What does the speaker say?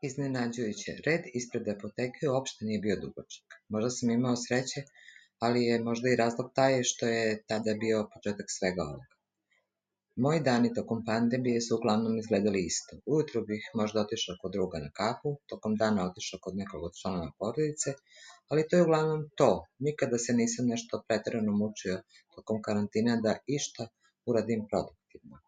Iznenađujuće, red ispred apoteke uopšte nije bio dugačak. Možda sam imao sreće, ali je možda i razlog taj što je tada bio početak svega ovoga. Moji dani tokom pandemije su uglavnom izgledali isto. Ujutro bih možda otišao kod druga na kafu, tokom dana otišao kod nekog od članova porodice, ali to je uglavnom to. Nikada se nisam nešto preterano mučio tokom karantina da išta uradim produktivno.